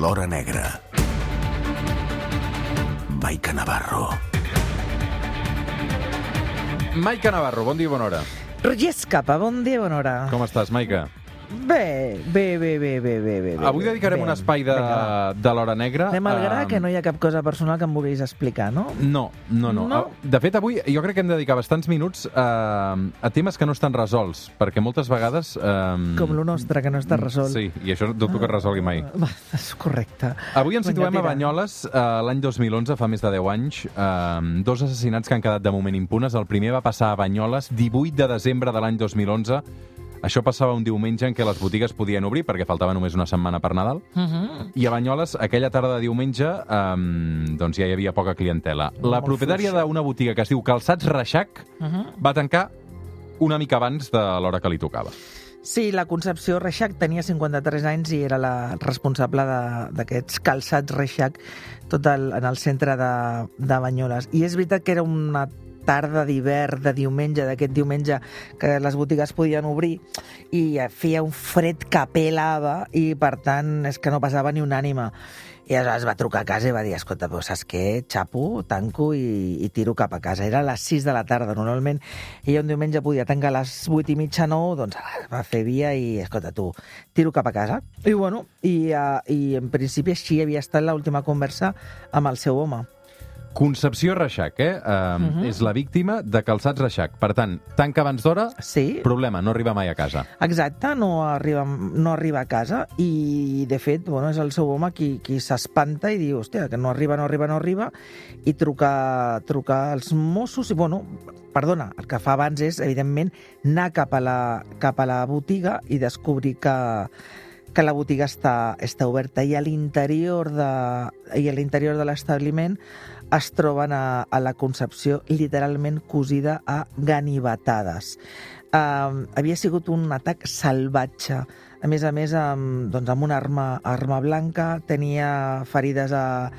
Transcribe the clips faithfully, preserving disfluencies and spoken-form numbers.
l'hora negra. Maica Navarro. Maica Navarro, bon dia i bona hora. Roger Escapa, bon dia, bona hora. Com estàs, Maica? Bé, bé, bé, bé, bé, bé, bé. Avui dedicarem bé. un espai de, de l'hora negra. Anem al gra, um, que no hi ha cap cosa personal que em vulguis explicar, no? No, no, no, No? De fet, avui jo crec que hem de dedicar bastants minuts a, a temes que no estan resolts, perquè moltes vegades... Um... Com lo nostre, que no està resolt. Sí, i això dubto que es resolgui mai. Va, és correcte. Avui ens situem Vinga, a tira. Banyoles, uh, l'any dos mil onze, fa més de deu anys. Uh, dos assassinats que han quedat de moment impunes. El primer va passar a Banyoles, divuit de desembre de l'any dos mil onze. Això passava un diumenge en què les botigues podien obrir, perquè faltava només una setmana per Nadal. Uh -huh. I a Banyoles, aquella tarda de diumenge, um, doncs ja hi havia poca clientela. La Molt propietària fluixa. d'una botiga que es diu Calçats Reixac Uh -huh. va tancar una mica abans de l'hora que li tocava. Sí, la Concepció Reixac tenia cinquanta-tres anys i era la responsable de- d'aquests calçats Reixac tot el, en el centre de, de Banyoles. I és veritat que era una tarda d'hivern, de diumenge, d'aquest diumenge que les botigues podien obrir i feia un fred que pelava i, per tant, és que no passava ni una ànima. I aleshores va trucar a casa i va dir, escolta, però saps què? Xapo, tanco i, i tiro cap a casa. Era a les sis de la tarda. Normalment ella un diumenge podia tancar a les vuit i mitja, nou, doncs va fer via i, escolta, tu, tiro cap a casa. I, bueno, i, uh, i en principi així havia estat l'última conversa amb el seu home. Concepció Reixac, eh? Uh, uh -huh. És la víctima de Calçats Reixac. Per tant, tanca abans d'hora, Sí. problema, no arriba mai a casa. Exacte, no arriba, no arriba a casa i, de fet, bueno, és el seu home qui, qui s'espanta i diu, hòstia, que no arriba, no arriba, no arriba, i truca, truca als Mossos i, bueno, perdona, el que fa abans és, evidentment, anar cap a la, cap a la botiga i descobrir que, que la botiga està, està oberta i a l'interior de, i a l'interior de l'establiment es troben a, a la Concepció literalment cosida a ganivetades. Uh, havia sigut un atac salvatge. A més a més, amb, doncs, amb una arma, arma blanca, tenia ferides a,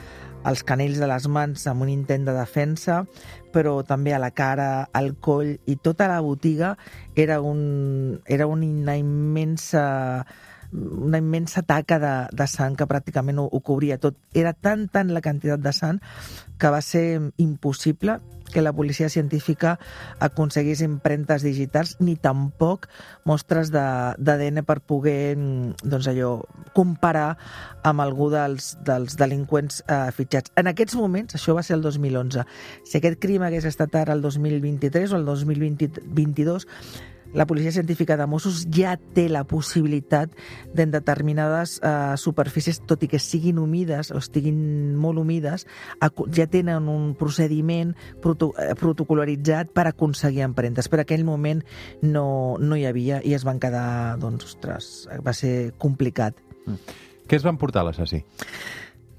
als canells de les mans amb un intent de defensa, però també a la cara, al coll, i tota la botiga era, un, era una immensa una immensa taca de, de sang que pràcticament ho, ho cobria tot. Era tan, tan la quantitat de sang que va ser impossible que la policia científica aconseguís empremtes digitals ni tampoc mostres d'A D N per poder, doncs allò, comparar amb algú dels, dels delinqüents eh, fitxats. En aquests moments, això va ser el dos mil onze, si aquest crim hagués estat ara el dos mil vint-i-tres o el dos mil vint-i-dos, la policia científica de Mossos ja té la possibilitat d'en determinades eh, superfícies, tot i que siguin humides o estiguin molt humides, ja tenen un procediment proto protocolaritzat per aconseguir empremtes. Per aquell moment no, no hi havia i es van quedar, doncs, ostres, va ser complicat. Mm. Què es van portar l'assassí?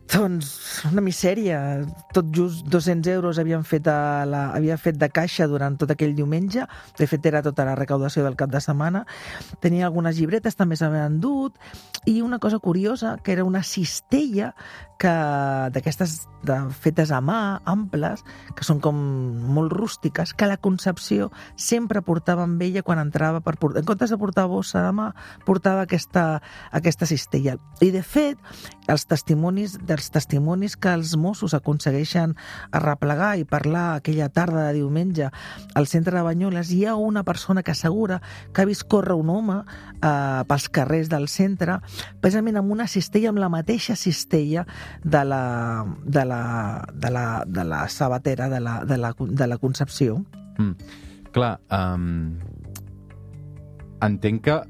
Doncs una misèria. Tot just dos-cents euros havien fet, a la, havia fet de caixa durant tot aquell diumenge. De fet, era tota la recaudació del cap de setmana. Tenia algunes llibretes, també s'havien endut. I una cosa curiosa, que era una cistella que d'aquestes fetes a mà, amples, que són com molt rústiques, que la Concepció sempre portava amb ella quan entrava per portar. En comptes de portar bossa de mà, portava aquesta, aquesta cistella. I, de fet, els testimonis dels testimonis que els Mossos aconsegueixen arreplegar i parlar aquella tarda de diumenge al centre de Banyoles, hi ha una persona que assegura que ha vist córrer un home eh, pels carrers del centre, precisament amb una cistella, amb la mateixa cistella de la, de la, de la, de la sabatera de la, de la, de la Concepció. Mm. Clar, um, entenc que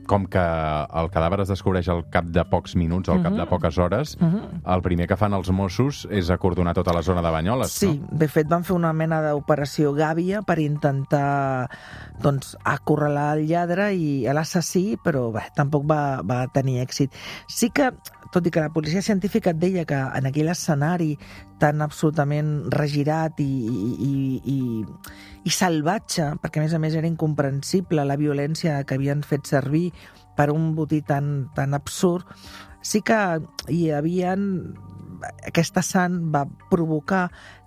com que el cadàver es descobreix al cap de pocs minuts, al cap de poques hores, el primer que fan els Mossos és acordonar tota la zona de Banyoles, sí, no? De fet van fer una mena d'operació gàbia per intentar, doncs, acorralar el lladre i l'assassí, però bé, tampoc va, va tenir èxit. Sí que, tot i que la policia científica et deia que en aquell escenari tan absolutament regirat i, i, i, i salvatge, perquè a més a més era incomprensible la violència que havien fet servir per un botí tan, tan absurd, sí que hi havia... Aquesta sang va provocar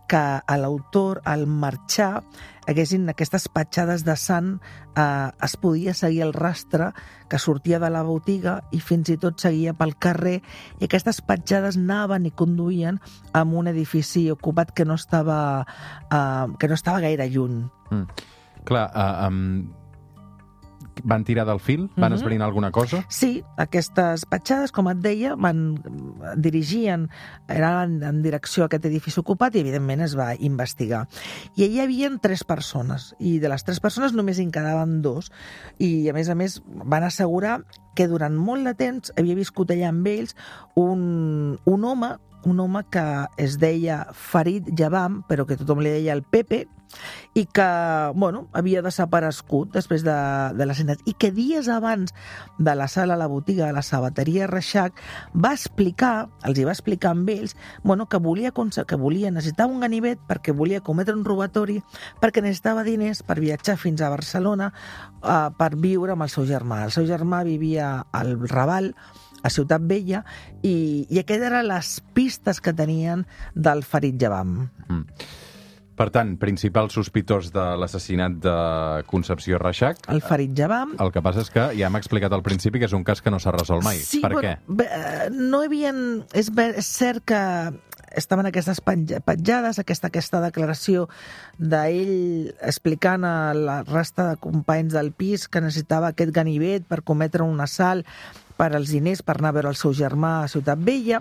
que a l'autor, al marxar, haguessin aquestes petjades de sang, eh, es podia seguir el rastre que sortia de la botiga i fins i tot seguia pel carrer, i aquestes petjades anaven i conduïen a un edifici ocupat que no estava, eh, que no estava gaire lluny. Mm. Clar, uh, um, van tirar del fil? Van esbrinar alguna cosa? Sí, aquestes petjades, com et deia, van dirigien, eren en direcció a aquest edifici ocupat i, evidentment, es va investigar. I hi havia tres persones, i de les tres persones només en quedaven dos. I, a més a més, van assegurar que durant molt de temps havia viscut allà amb ells un, un home, un home que es deia Farid Jabam, però que tothom li deia el Pepe, i que, bueno, havia desaparegut després de, de l'assassinat, i que dies abans de la sala a la botiga de la sabateria Reixac va explicar, els hi va explicar amb ells, bueno, que volia, que volia necessitava un ganivet perquè volia cometre un robatori, perquè necessitava diners per viatjar fins a Barcelona eh, per viure amb el seu germà. El seu germà vivia al Raval, a Ciutat Vella, i, i aquestes eren les pistes que tenien del Farid Jabam. Mm. Per tant, principal sospitós de l'assassinat de Concepció Reixac. El Farid Jabam. El que passa és que ja hem explicat al principi que és un cas que no s'ha resolt mai. Sí, per bueno, què? Bé, no havien... És, és cert que estaven aquestes petjades, aquesta, aquesta declaració d'ell explicant a la resta de companys del pis que necessitava aquest ganivet per cometre un assalt per als diners, per anar a veure el seu germà a Ciutat Vella.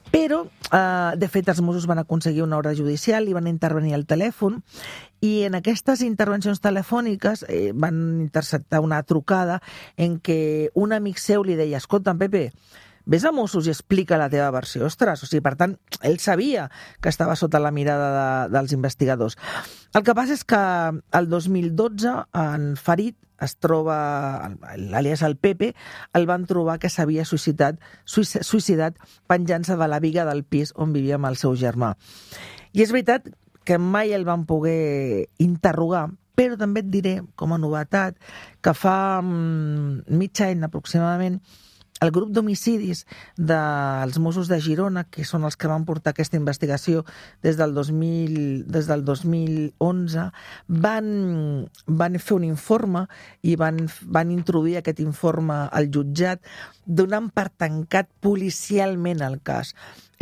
Però, eh, de fet, els Mossos van aconseguir una ordre judicial i van intervenir al telèfon, i en aquestes intervencions telefòniques eh, van interceptar una trucada en què un amic seu li deia: escolta, Pepe, ves a Mossos i explica la teva versió. Ostres, o sigui, per tant, ell sabia que estava sota la mirada de, dels investigadors. El que passa és que el dos mil dotze, en Farid es troba, l'alias el Pepe, el van trobar que s'havia suïcidat, suïcidat penjant-se de la biga del pis on vivia amb el seu germà. I és veritat que mai el van poder interrogar, però també et diré, com a novetat, que fa mm, mig any aproximadament, el grup d'homicidis dels Mossos de Girona, que són els que van portar aquesta investigació des del dos mil, des del dos mil onze, van, van fer un informe i van, van introduir aquest informe al jutjat, donant per tancat policialment el cas.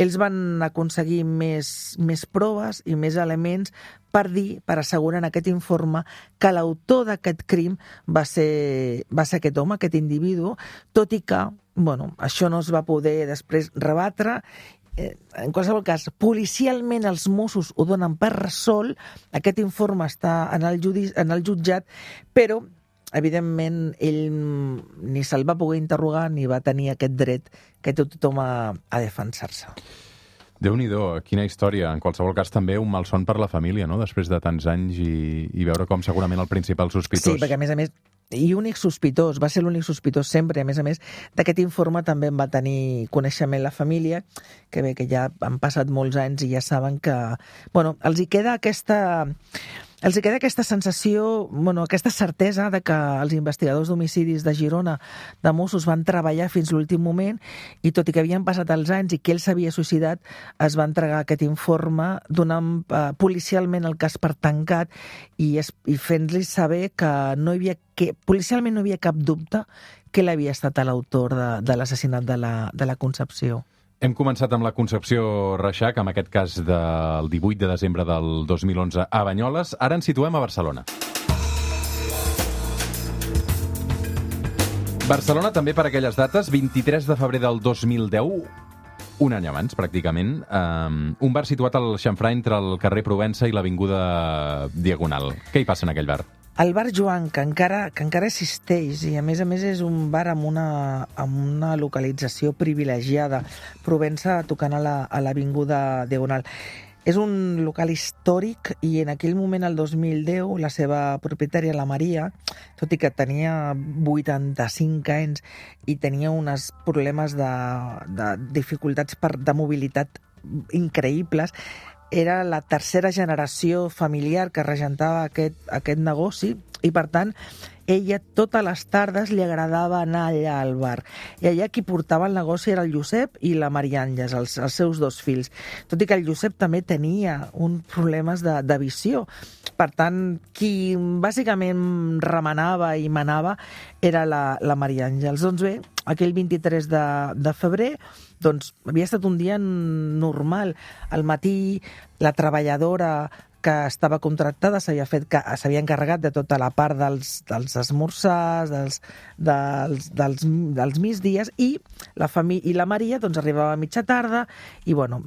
Ells van aconseguir més, més proves i més elements per dir, per assegurar en aquest informe, que l'autor d'aquest crim va ser, va ser aquest home, aquest individu, tot i que, bueno, això no es va poder després rebatre. En qualsevol cas, policialment els Mossos ho donen per resolt, aquest informe està en el, judici, en el jutjat, però evidentment ell ni se'l va poder interrogar ni va tenir aquest dret que té tothom a, a defensar-se. Déu-n'hi-do, quina història. En qualsevol cas, també un malson per la família, no?, després de tants anys i, i veure com segurament el principal sospitós... Sí, perquè a més a més, i únic sospitós, va ser l'únic sospitós sempre, a més a més, d'aquest informe també en va tenir coneixement la família, que bé, que ja han passat molts anys i ja saben que... Bueno, els hi queda aquesta... Els hi queda aquesta sensació, bueno, aquesta certesa de que els investigadors d'homicidis de Girona, de Mossos, van treballar fins l'últim moment i tot i que havien passat els anys i que ell s'havia suïcidat, es va entregar aquest informe donant eh, policialment el cas per tancat i, es, i fent-li saber que no hi havia que policialment no hi havia cap dubte que ell havia estat l'autor de, de l'assassinat de la, de la Concepció. Hem començat amb la Concepció Reixac, en aquest cas del divuit de desembre del dos mil onze a Banyoles. Ara ens situem a Barcelona. Barcelona també per aquelles dates, vint-i-tres de febrer del dos mil deu, un any abans, pràcticament, um, un bar situat al xamfrà entre el carrer Provença i l'avinguda Diagonal. Què hi passa en aquell bar? El bar Joan, que encara, que encara existeix, i a més a més és un bar amb una, amb una localització privilegiada, Provença tocant a l'avinguda la, Diagonal. És un local històric i en aquell moment, el dos mil deu, la seva propietària, la Maria, tot i que tenia vuitanta-cinc anys i tenia uns problemes de, de dificultats per, de mobilitat increïbles, era la tercera generació familiar que regentava aquest, aquest negoci i, per tant, ella totes les tardes li agradava anar allà al bar. I allà qui portava el negoci era el Josep i la Maria Àngels, els, els seus dos fills. Tot i que el Josep també tenia uns problemes de, de visió. Per tant, qui bàsicament remenava i manava era la, la Maria Àngels. Doncs bé, aquell vint-i-tres de, de febrer, doncs havia estat un dia normal. Al matí, la treballadora que estava contractada s'havia fet que s'havia encarregat de tota la part dels, dels esmorzars, dels, dels, dels, dels migdies, i la família i la Maria doncs arribava a mitja tarda i bueno,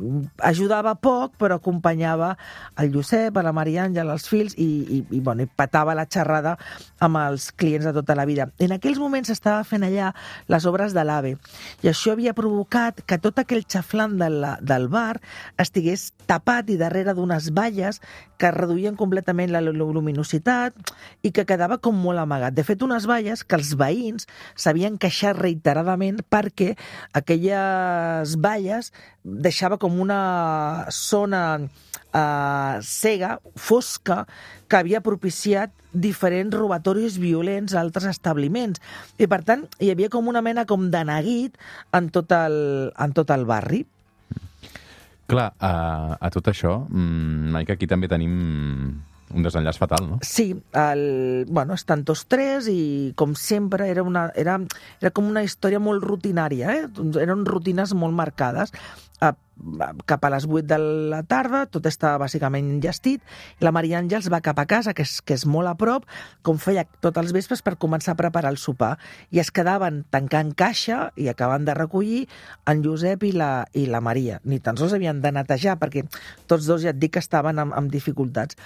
ajudava poc però acompanyava el Josep, a la Maria Àngel, els fills i, i, i, bueno, i patava la xerrada amb els clients de tota la vida. En aquells moments s'estava fent allà les obres de l'AVE i això havia provocat que tot aquell xaflant del, del bar estigués tapat i darrere d'unes valles que reduïen completament la luminositat i que quedava com molt amagat. De fet, unes valles que els veïns s'havien queixat reiteradament perquè aquelles valles deixava com una zona eh, cega, fosca, que havia propiciat diferents robatoris violents a altres establiments. I, per tant, hi havia com una mena com de neguit en tot el, en tot el barri. Clar, a, a tot això, mmm, que aquí també tenim un desenllaç fatal, no? Sí, el, bueno, estan tots tres i, com sempre, era, una, era, era com una història molt rutinària, eh? Eren rutines molt marcades. A, cap a les vuit de la tarda, tot estava bàsicament enllestit, la Maria Àngels va cap a casa, que és, que és molt a prop, com feia tots els vespres per començar a preparar el sopar, i es quedaven tancant caixa i acaben de recollir en Josep i la, i la Maria. Ni tan sols havien de netejar, perquè tots dos ja et dic que estaven amb, amb dificultats.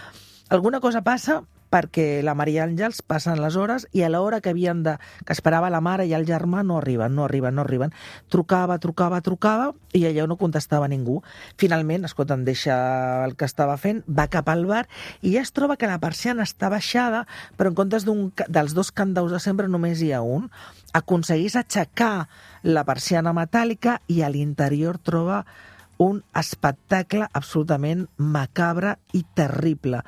Alguna cosa passa perquè la Maria Àngels passen les hores i a l'hora que havien de, que esperava la mare i el germà no arriben, no arriben, no arriben. Trucava, trucava, trucava i allò no contestava ningú. Finalment, escolta, em deixa el que estava fent, va cap al bar i ja es troba que la persiana està baixada, però en comptes d'un, dels dos candaus de sempre només hi ha un. Aconseguís aixecar la persiana metàl·lica i a l'interior troba un espectacle absolutament macabre i terrible.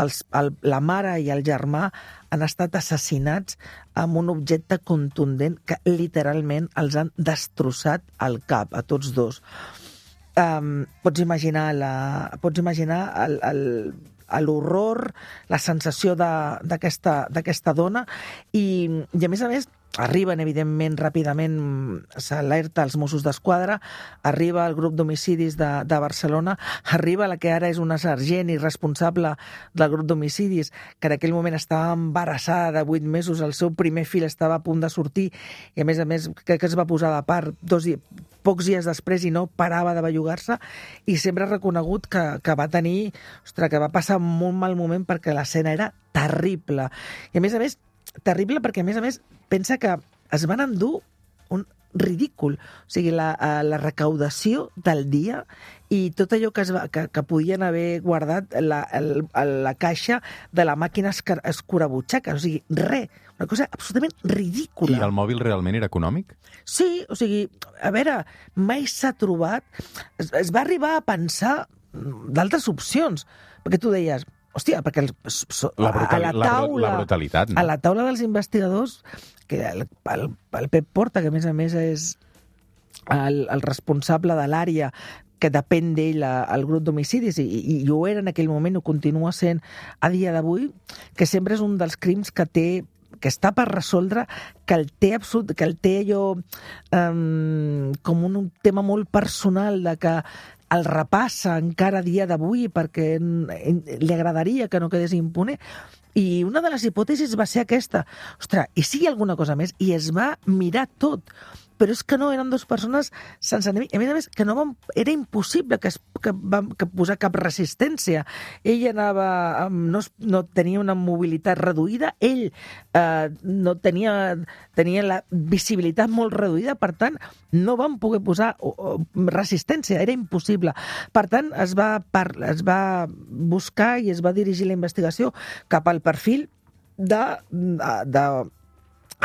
Els, el, la mare i el germà han estat assassinats amb un objecte contundent que literalment els han destrossat el cap, a tots dos. Um, pots imaginar la, pots imaginar el, el, l'horror, la sensació d'aquesta d'aquesta dona i, i a més a més arriben, evidentment, ràpidament, s'alerta als Mossos d'Esquadra, arriba el grup d'homicidis de, de Barcelona, arriba la que ara és una sergent i responsable del grup d'homicidis, que en aquell moment estava embarassada de vuit mesos, el seu primer fill estava a punt de sortir, i a més a més crec que es va posar de part dos, pocs dies després i no parava de bellugar-se, i sempre ha reconegut que, que va tenir, ostres, que va passar un molt mal moment perquè l'escena era terrible. I a més a més, terrible perquè a més a més pensa que es van endur un ridícul, o sigui, la, la recaudació del dia i tot allò que, es va, que, que podien haver guardat la, el, la caixa de la màquina escurabutxaca, o sigui, res, una cosa absolutament ridícula. I el mòbil realment era econòmic? Sí, o sigui, a veure, mai s'ha trobat, es, es va arribar a pensar d'altres opcions, perquè tu deies, hòstia, perquè el, so, la brutal, a la taula, la brutalitat, no? A la taula dels investigadors, que el, el, el Pep Porta, que a més a més és el, el responsable de l'àrea que depèn d'ell al grup d'homicidis, i, i, i ho era en aquell moment, ho continua sent a dia d'avui, que sempre és un dels crims que té que està per resoldre, que el té absolut, que el té allò um, com un, un tema molt personal de que el repassa encara a dia d'avui perquè li agradaria que no quedés impune. I una de les hipòtesis va ser aquesta. Ostres, i si hi ha alguna cosa més? I es va mirar tot. Però és que no, eren dues persones sense enemic. A més a més, que no van, era impossible que, es, que, vam, que posar cap resistència. Ell anava, no, no tenia una mobilitat reduïda, ell eh, no tenia, tenia la visibilitat molt reduïda, per tant, no van poder posar o, o, resistència, era impossible. Per tant, es va, par, es va buscar i es va dirigir la investigació cap al perfil de... de, de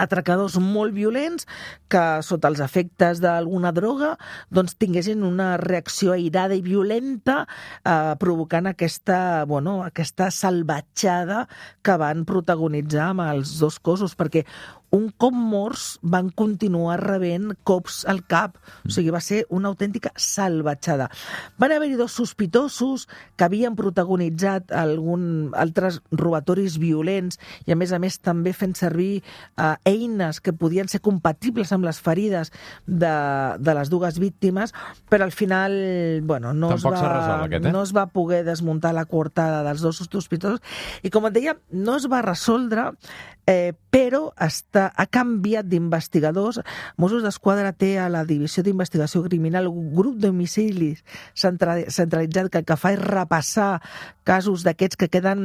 atracadors molt violents que sota els efectes d'alguna droga doncs tinguessin una reacció airada i violenta eh, provocant aquesta, bueno, aquesta salvatjada que van protagonitzar amb els dos cossos, perquè un cop morts van continuar rebent cops al cap, o sigui, va ser una autèntica salvatjada. Van haver-hi dos sospitosos que havien protagonitzat algun, altres robatoris violents i a més a més també fent servir eh, eines que podien ser compatibles amb les ferides de, de les dues víctimes, però al final bueno, no, es va, resol, aquest, eh? no es va poder desmuntar la coartada dels dos sospitosos i, com et deia, no es va resoldre, eh, però està, ha canviat d'investigadors. Mossos d'Esquadra té a la Divisió d'Investigació Criminal un grup d'homicidis centralitzat que el que fa és repassar casos d'aquests que queden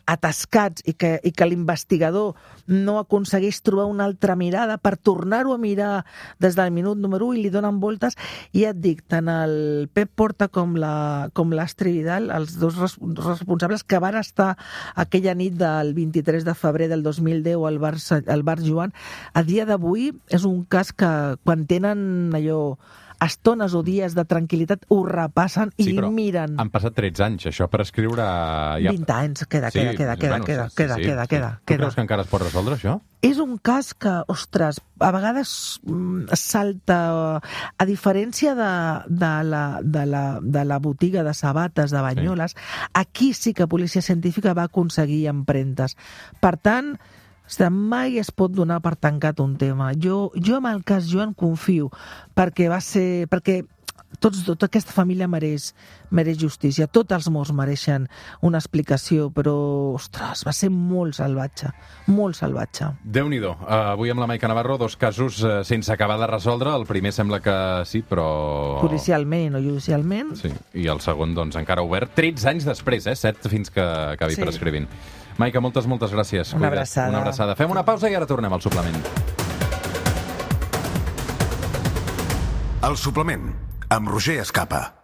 atascats i que, i que l'investigador no aconsegueix trobar una altra mirada per tornar-ho a mirar des del minut número u i li donen voltes. I ja et dic, tant el Pep Porta com la, com l'Astrid Vidal, els dos res, responsables que van estar aquella nit del vint-i-tres de febrer del dos mil deu al bar, al bar Joan, a dia d'avui és un cas que quan tenen allò estones o dies de tranquil·litat ho repassen i sí, miren. Han passat tretze anys, això per escriure... Ja... vint anys, queda, sí, queda, queda, queda, bueno, queda, sí, queda, sí, queda, sí. queda. Tu queda. creus que encara es pot resoldre, això? És un cas que, ostres, a vegades mm, salta, a diferència de, de, la, de, la, de la botiga de sabates de Banyoles, sí. Aquí sí que Policia Científica va aconseguir empremtes. Per tant, mai es pot donar per tancat un tema. Jo, jo amb el cas Joan confio, perquè va ser... perquè tots, tota aquesta família mereix, mereix justícia. Tots els morts mereixen una explicació, però, ostres, va ser molt salvatge, molt salvatge. Déu-n'hi-do. Uh, avui amb la Maica Navarro, dos casos uh, sense acabar de resoldre. El primer sembla que sí, però... Policialment i no judicialment. Sí, i el segon, doncs, encara obert. tretze anys després, eh? set fins que acabi sí. prescrivint. Maica, moltes, moltes gràcies. Una abraçada. Una abraçada. Fem una pausa i ara tornem al suplement. El suplement, amb Roger Escapa.